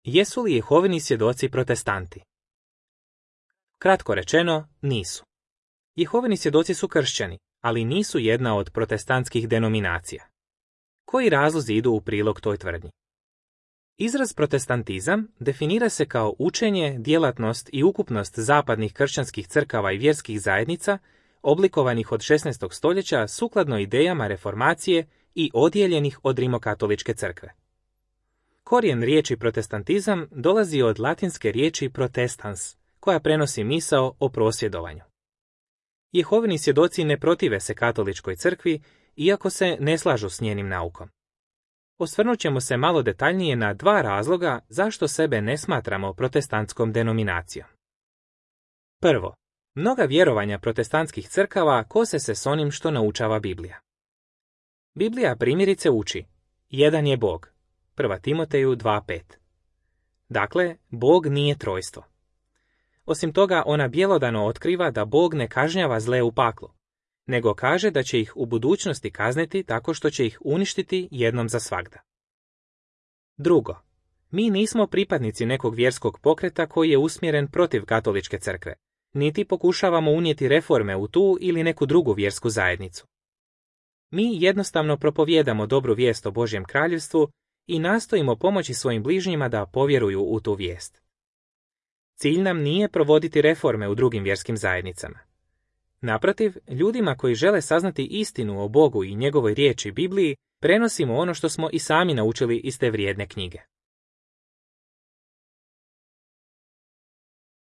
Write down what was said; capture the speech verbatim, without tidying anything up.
Jesu li Jehovini svjedoci protestanti? Kratko rečeno, nisu. Jehovini svjedoci su kršćani, ali nisu jedna od protestantskih denominacija. Koji razlozi idu u prilog toj tvrdnji? Izraz protestantizam definira se kao učenje, djelatnost i ukupnost zapadnih kršćanskih crkava i vjerskih zajednica, oblikovanih od šesnaestog stoljeća sukladno idejama reformacije i odijeljenih od rimokatoličke crkve. Korijen riječi protestantizam dolazi od latinske riječi protestans, koja prenosi misao o prosvjedovanju. Jehovini svjedoci ne protive se katoličkoj crkvi, iako se ne slažu s njenim naukom. Osvrnut ćemo se malo detaljnije na dva razloga zašto sebe ne smatramo protestantskom denominacijom. Prvo, mnoga vjerovanja protestantskih crkava kose se s onim što naučava Biblija. Biblija primjerice uči: jedan je Bog, prva Timoteju dva pet. Dakle, Bog nije trojstvo. Osim toga, ona bjelodano otkriva da Bog ne kažnjava zle u paklu, nego kaže da će ih u budućnosti kazniti tako što će ih uništiti jednom za svagda. Drugo, mi nismo pripadnici nekog vjerskog pokreta koji je usmjeren protiv katoličke crkve, niti pokušavamo unijeti reforme u tu ili neku drugu vjersku zajednicu. Mi jednostavno propovijedamo dobru vijest o Božjem kraljevstvu i nastojimo pomoći svojim bližnjima da povjeruju u tu vijest. Cilj nam nije provoditi reforme u drugim vjerskim zajednicama. Naprotiv, ljudima koji žele saznati istinu o Bogu i njegovoj riječi Bibliji, prenosimo ono što smo i sami naučili iz te vrijedne knjige.